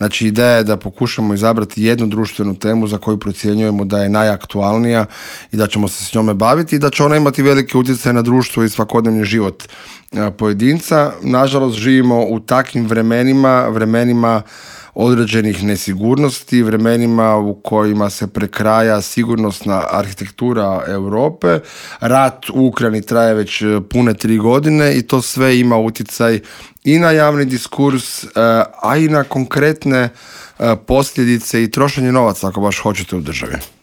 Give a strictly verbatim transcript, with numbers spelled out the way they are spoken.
Znači, ideja je da pokušamo izabrati jednu društvenu temu za koju procjenjujemo da je najaktualnija i da ćemo se s njome baviti i da će ona imati veliki utjecaj na društvo i svakodnevni život pojedinca. Nažalost, živimo u takvim vremenima, vremenima određenih nesigurnosti, vremenima u kojima se prekraja sigurnosna arhitektura Europe. Rat u Ukrajini traje već pune tri godine i to sve ima utjecaj i na javni diskurs, a i na konkretne posljedice i trošenje novaca, ako baš hoćete, u državi.